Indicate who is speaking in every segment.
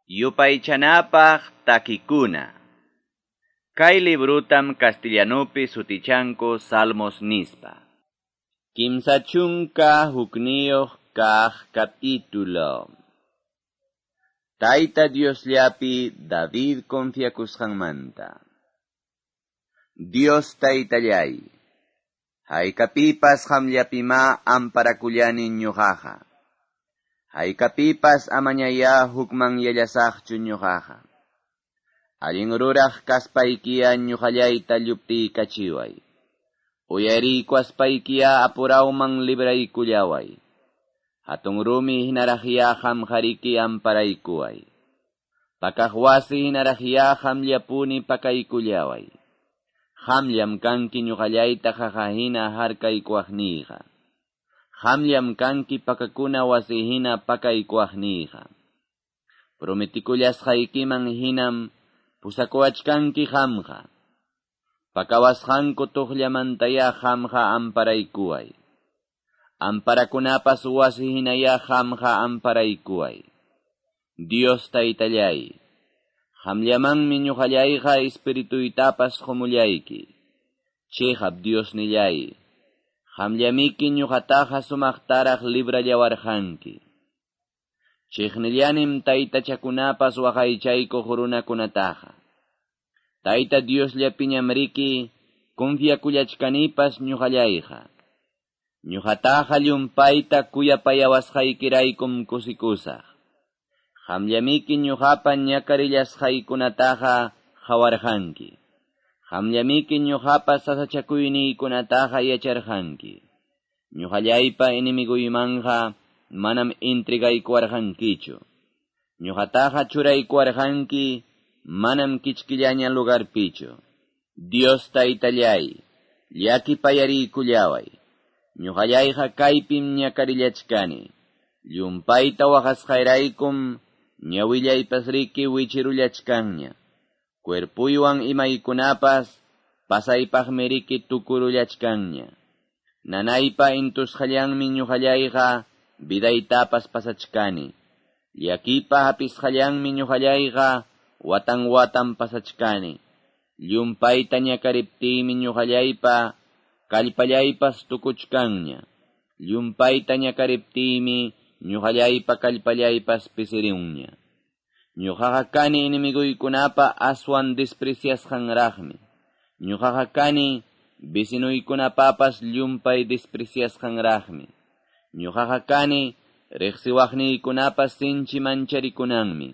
Speaker 1: Yupaychanapaq takikuna. Kay librutam castellanupi sutichanku Salmos nispa. 31 kaq capítulo. Tayta Diosllapi David confiakusqanmanta. Dios Taytallay, haykapipas qamllapimá amparakullani ñuqaqa. Haykapipas amañayá hukmanyallasaqchu ñuqaqa. Allin ruraq kaspaykiya ñuqallayta lluptiykachiway. Uyariykuaspaykiya apurawman libraykullaway. Hatun rumi hinaraqyá qamqariki amparaykuway. Pakaq wasi hinaraqyá qamllapuni pakaykullaway. Qamllam kanki ñuqallayta qaqa hina harkaykuwaqniyqa. Qamllam kanki pakakuna wasi hina pakaykuwaqniyqa. Prometikullasqaykiman hinam pusakuwachkanki qamqa. Pakawasqanku tuqllamantayá qamqa amparaykuway. Amparakunapas wasi hinayá qamqa amparaykuway. Dios Taytallay, qamllamanmi ñuqallayqa espirituytapas qumullayki. Chiqap Diosnillay, qamllamiki ñuqataqa sumaqtaraq librallawarqanki. Chiqnillanim taytachakunapas waqaychaykuq runakunataqa. Tayta Diosllapiñam riki confiakullachkanipas ñuqallayqa. Ñuqataqa llumpayta kuyapayawasqaykiraykum kusikusaq. Qamllamiki ñuqapa ñakarillasqaykunataqa qawarqanki. Qamllamiki ñuqapa sasachakuyniykunataqa yacharqanki. Ñuqallaypa enemiguymanqa manam entregaykuwarqankichu. Ñuqataqa churaykuwarqanki manam kichkillaña lugarpichu. Dios Taytallay, llakipayariykullaway. Ñuqallayqa kaypim ñakarillachkani. Llumpayta waqasqayraykum ñawillaypas riki wichirullachkanña. Cuerpuywan imaykunapas pasaypaqmi riki tukurullachkanña. Nanaypa intusqallanmi ñuqallayqa vidaytapas pasachkani. Llakipa hapisqallanmi ñuqallayqa watan watan pasachkani. Llumpayta ñakariptiymi ñuqallaypa kallpallaypas tukuchkanña. Llumpayta ñakariptiymi ñuqallaypa kallpallaypas pisirunña. Ñuqaqa kani enemiguykunapa aswan despreciasqanraqmi. Ñuqaqa kani vecinuykunapapas llumpay despreciasqanraqmi. Ñuqaqa kani riqsiwaqniykunapas sinchi mancharikunanmi.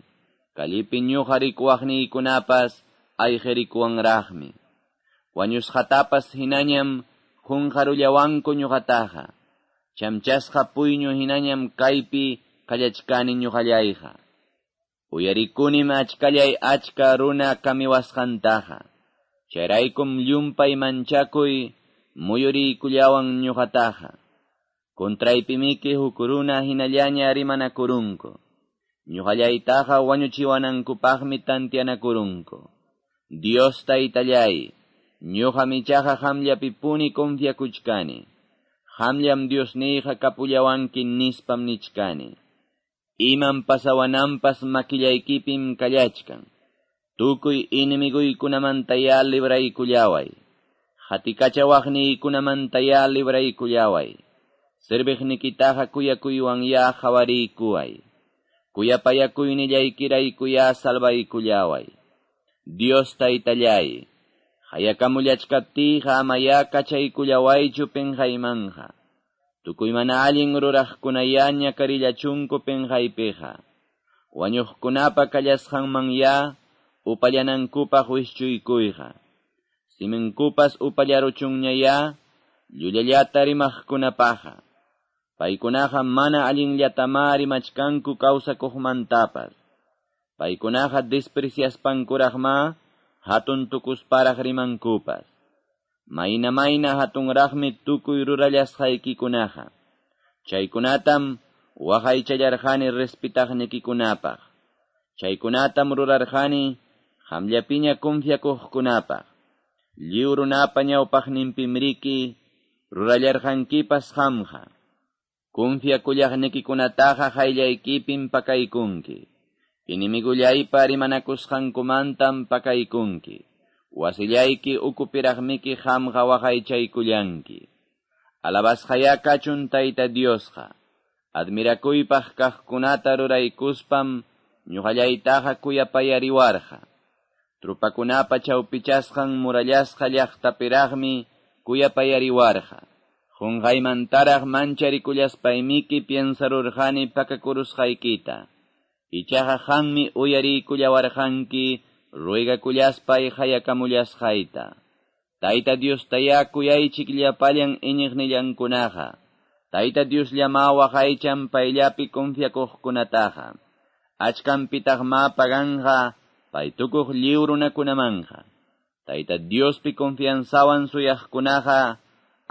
Speaker 1: Kallipi ñuqa rikuwaqniykunapas ayqirikuwanraqmi. Wañusqatapas hinañam qunqarullawanku ñuqataqa. Chamchasqa puyñu hinañam kaypi kallachkani ñuqallayqa. Uyarikunim achkallay achka runa kamiwasqantaqa. Chayraykum llumpay manchakuy muyuriykullawan ñuqataqa. Contraypimiki huk runa hinallaña rimanakurunku. Ñuqallaytaqa wañuchiwanankupaqmi tantianakurunku. Dios Taytallay, ñuqam ichaqa qamllapipuni confiakuchkani. Qamllam Diosniyqa kapullawanki nispam nichkani. Imam pasawananpas makillaykipim kallachkan. Tukuy enemiguykunamantayá libraykullaway. Qatikachawaqniykunamantayá libraykullaway. Serviqnikitaqa kuyakuywan qawariykuway. Kuyapayakuynillaykiraykuyá salvaykullaway. Dios Taytallay, hayakamullachkaptiyqa amayá kachaykullawaychu pinqaymanja. Tukuy mana allin ruraqkunayá ñakarillachunku pinqaypiqa. Wañuqkunapa kallasqanmanyá upallanankupaq wischuykuyqa. Siminkupas upallaruchunñayá llullallata rimaqkunapaqa. Paykunaqa mana allinllatamá rimachkanku kawsakuqmantapas. Paykunaqa despreciaspankuraqmá hatun tukusparaq rimankupas. Mayna mayna hatunraqmi tukuy rurallasqaykikunaqa. Chaykunatam waqaychallarqani respetaqnikikunapaq. Chaykunatam rurarqani qamllapiña confiakuqkunapaq. Lliw runapa ñawpaqninpimriki rurallarqankipas qamqa. Confiakullaqnikikunataqa qayllaykipim pakaykunki. Enemigollaypa rimanakusqankumantam pakaykunki. Wasillayki ukupiraqmiki qamqa waqaychaykullanki. Alabasqayá kachun Tayta Diosqa. Admirakuypaq kaqkunata ruraykuspam ñuqallaytaqa kuyapayariwarqa. Trupakunapa chawpichasqan murallasqa llaqtapiraqmi kuyapayariwarqa. Qunqaymantaraq mancharikullaspaymi piensarurqani pakakurusqaykita. Ichaqa qammi uyariykullawarqanki ruegakullaspay hayakamullasqayta. Tayta Diostayá kuyaychik llapallan iñiqnillankunaqa. Tayta Diosllamá waqaychan payllapi confiakuqkunataqa. Achkanpitaqmá paganqa paytukuq lliw runakunamanqa. Tayta Diospi confianzawan suyaqkunaqa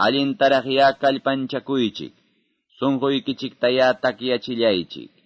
Speaker 1: allintaraqyá kallpanchakuychik. Sunquykichiktayá takyachillaychik.